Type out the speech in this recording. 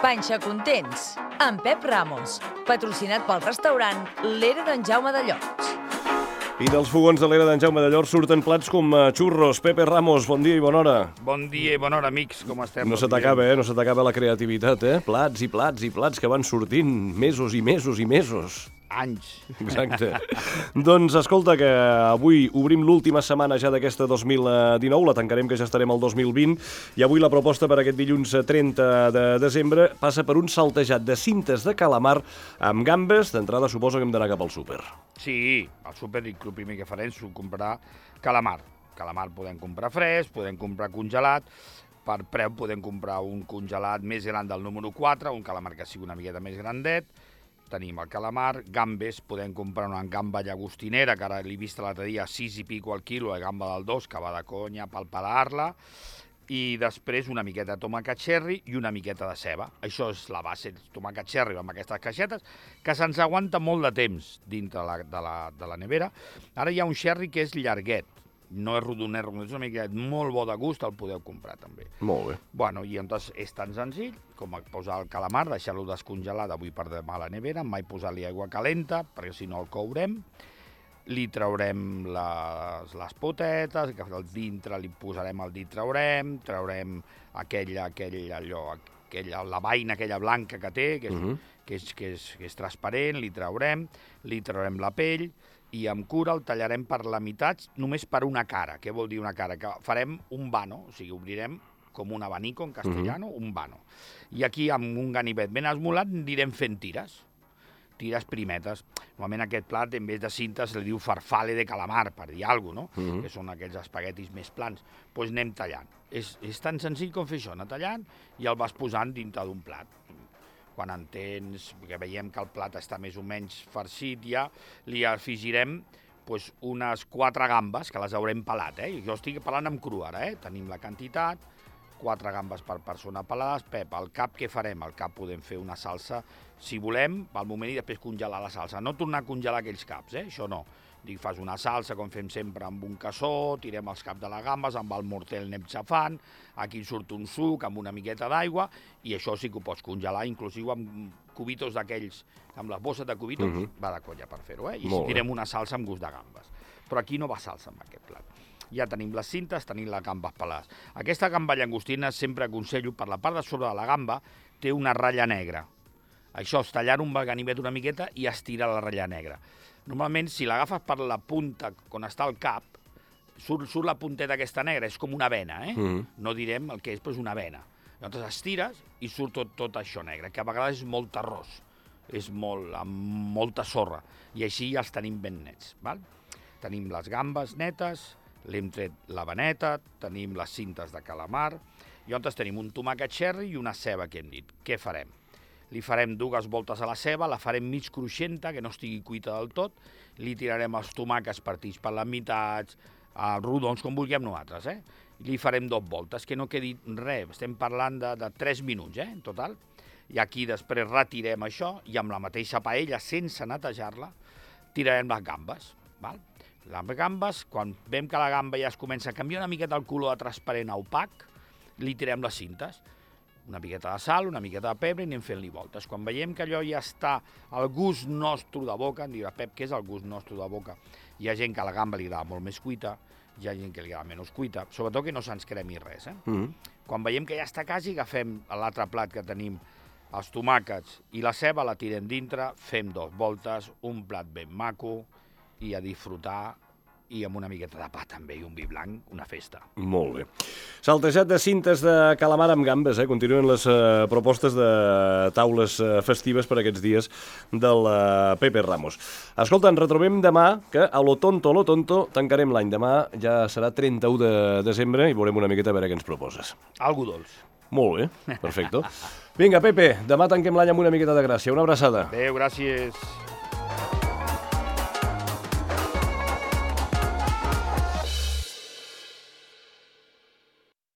Panxa Contents, amb Pep Ramos, patrocinat pel restaurant l'Era d'en Jaume de Llots. I dels fogons de l'Era d'en Jaume de Llots surten plats com xurros. Pepe Ramos, bon dia i bona hora. Bon dia i bona hora, amics, com estem? No se t'acaba, No se t'acaba la creativitat, Plats i plats i plats que van sortint mesos i mesos i mesos. Anys. Exacte. Doncs escolta que avui obrim l'última setmana ja d'aquesta 2019, la tancarem que ja estarem al 2020, i avui la proposta per aquest dilluns 30 de desembre passa per un saltejat de cintes de calamar amb gambes. D'entrada suposo que hem d'anar cap al súper. Sí, al súper el primer que farem és comprar calamar. Calamar podem comprar fresc, podem comprar congelat, per preu podem comprar un congelat més gran del número 4, un calamar que sigui una miqueta més grandet. Tenim el calamar, gambes, podem comprar una gamba llagostinera, que ara l'he vist l'altre dia, 6 i pico al quilo, la gamba del 2, que va de conya per pelar-la, i després una miqueta de tomàquet cherry i una miqueta de ceba. Això és la base, tomàquet cherry amb aquestes caixetes, que se'ns aguanta molt de temps dintre de la nevera. Ara hi ha un cherry que és llarguet, no és rodonet, és una mica molt bo de gust, el podeu comprar també. Molt bé. Bueno, i llavors és tan senzill com posar el calamar, deixar-lo descongelat avui per demà a la nevera, mai posar-li aigua calenta, perquè si no el courem. Li traurem les potetes, que al dintre li posarem el dit, traurem la vaina aquella blanca que té, que és transparent, li traurem la pell, i amb cura el tallarem per la meitat, només per una cara. Què vol dir una cara? Que farem un vano, o sigui, obrirem com un abanico en castellano, un vano. I aquí, amb un ganivet ben esmolat, anirem fent tires primetes. Normalment aquest plat, en vez de cintes, li diu farfalle de calamar, per dir alguna cosa, que són aquells espaguetis més plans. Doncs anem tallant. És tan senzill com fer això, anar tallant i el vas posant dintre d'un plat. Quan entens que veiem que el plat està més o menys farcit, ja li afegirem unes 4 gambes, que les haurem pelat. Jo estic pelant amb cru ara. Tenim la quantitat, 4 gambes per persona pelades. Pep, el cap què farem? El cap podem fer una salsa, si volem, pel moment, i després congelar la salsa. No tornar a congelar aquells caps, això no. Fas una salsa, com fem sempre, amb un cassó, tirem els caps de les gambes, amb el morter anem xafant, aquí surt un suc amb una miqueta d'aigua, i això sí que ho pots congelar, inclusiu amb cubitos d'aquells, amb les bosses de cubitos, va de colla per fer-ho, i si tirem una salsa amb gust de gambes. Però aquí no va salsa amb aquest plat. Ja tenim les cintes, tenim les gambes pelades. Aquesta gamba llagostina, sempre aconsello, per la part de sobre de la gamba, té una ratlla negra. Això és tallar un ganivet una miqueta i estirar la ratlla negra. Normalment, si l'agafes per la punta, on està el cap, surt la punteta aquesta negra, és com una vena, No direm el que és, però és una vena. Llavors estires i surt tot això negre, que a vegades és molt terrós, amb molta sorra, i així ja els tenim ben nets. Tenim les gambes netes, l'hem tret la veneta, tenim les cintes de calamar, i llavors tenim un tomàquet cherry i una ceba que hem dit. Què farem? Li farem 2 voltes a la ceba, la farem mig cruixenta, que no estigui cuita del tot, li tirarem els tomàquets partits per les meitats, rodons, com vulguem nosaltres, Li farem 2 voltes, que no quedi res, estem parlant de 3 minuts, en total. I aquí després retirem això, i amb la mateixa paella, sense netejar-la, tirarem les gambes, Les gambes, quan veiem que la gamba ja es comença a canviar una miqueta el color de transparent a opac, li tirem les cintes, una miqueta de sal, una miqueta de pebre, i anem fent-li voltes. Quan veiem que allò ja està al gust nostre de boca, em dirà, Pep, què és el gust nostre de boca? Hi ha gent que a la gamba li agrada molt més cuita, hi ha gent que li agrada menys cuita, sobretot que no se'ns cremi res. Quan veiem que ja està quasi, agafem l'altre plat que tenim, els tomàquets i la ceba, la tirem dintre, fem 2 voltes, un plat ben maco, i a disfrutar, i amb una miqueta de pa també, i un vi blanc, una festa. Molt bé. Saltejat de cintes de calamar amb gambes, Continuen les propostes de taules festives per aquests dies del Pepe Ramos. Escolta, ens retrobem demà, que a lo tonto tancarem l'any. Demà ja serà 31 de desembre i veurem una miqueta a veure què ens proposes. Algo dolç. Molt bé, perfecte. Vinga, Pepe, demà tanquem l'any amb una miqueta de gràcia. Una abraçada. Adéu, gràcies.